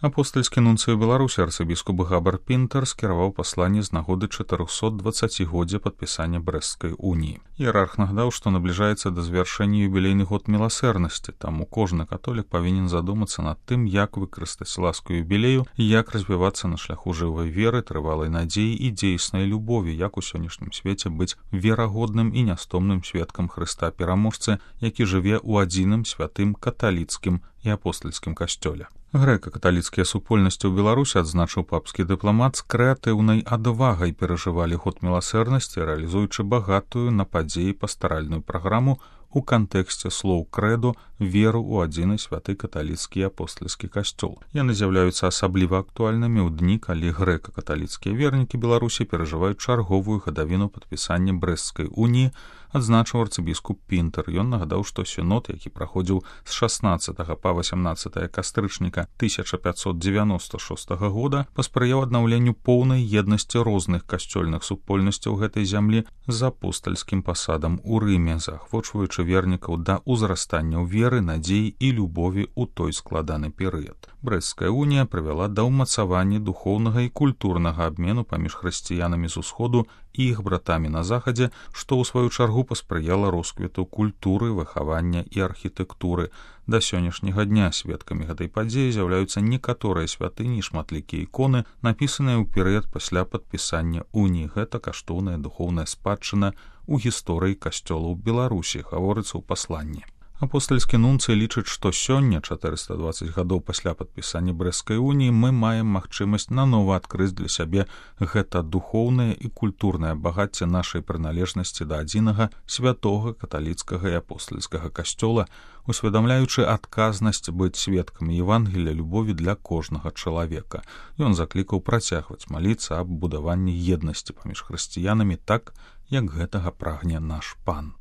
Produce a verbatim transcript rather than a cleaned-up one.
Апостальскі нунцый у Беларусі арцыбіскуп Габар Пінтер скіраваў пасланне з нагоды чатырохсотдваццацігоддзя падпісання Брэсцкай уніі. Іерарх нагадаў, што набліжаецца да завяршэння юбілейны год міласэрнасці, таму кожны католік павінен задумацца над тым, як выкарыстаць ласку юбілею і як развівацца на шляху жывой веры, трывалай надзеі і дзейснай любові, як у сённяшнім свеце быць верагодным і нястомным сведкам Хрыста пераможцы, які жыве ў адзіным святым каталіцкім і апостальскім касцёле. Грэка-каталіцкія супольнасці ў Беларусі, адзначыў папскі дыпламат, з крэатыўнай адвагай перажывалі год міласэрнасці, рэалізуючы багатую на падзеі пастаральную праграму у кантэксце слоў крэду веру ў адзіны святы каталіцкі і апостальскі касцёл. Яны з'яўляюцца асабліва актуальнымі ў дні, калі грэка-каталіцкія вернікі Беларусі перажываюць чарговую гадавіну падпісання Брэсцкай уніі, адзначыў арцыбіскуп Пінтер. Ён нагадаў, што сінод, які праходзіў з шаснаццатага па васямнаццатае кастрычніка тысяча пятьсот девяносто шостага года, паспрыяў аднаўленню поўнай еднасці розных касцёльных супольнасцяў гэтай зямлі з апостальскім пасадам у Рыме, заахвочваючы вернікаў да ўзрастання ў веры, надзеі і любові ў той складаны перыяд. Брэсцкая унія прывяла да ўмацавання духоўнага і культурнага абмену паміж хрысціянамі з усходу і іх братамі на захадзе, што ў сваю чаргу паспрыяла росквіту культуры, выхавання і архітэктуры. Да сённяшняга дня сведкамі гэтай падзеі з'яўляюцца некаторыя святыні і шматлікія іконы, напісаныя ў перыяд пасля падпісання уніі. Гэта каштоўная духоўная спадчына ў гісторыі касцёлаў Беларусі, гаворыцца ў пасланні. Апостальскі нунцый лічыць, што сёння, чатырыста дваццаць гадоў пасля падпісання Брэсцкай уніі, мы маем магчымасць нанова адкрыць для сябе гэта духоўнае і культурнае багацце нашай прыналежнасці да адзінага святога каталіцкага і апостальскага касцёла, усведамляючы адказнасць быць сведкамі Евангелія любові для кожнага чалавека. Ён заклікаў працягваць маліцца аб будаванні еднасці паміж хрысціянамі так, як гэтага прагне наш пан.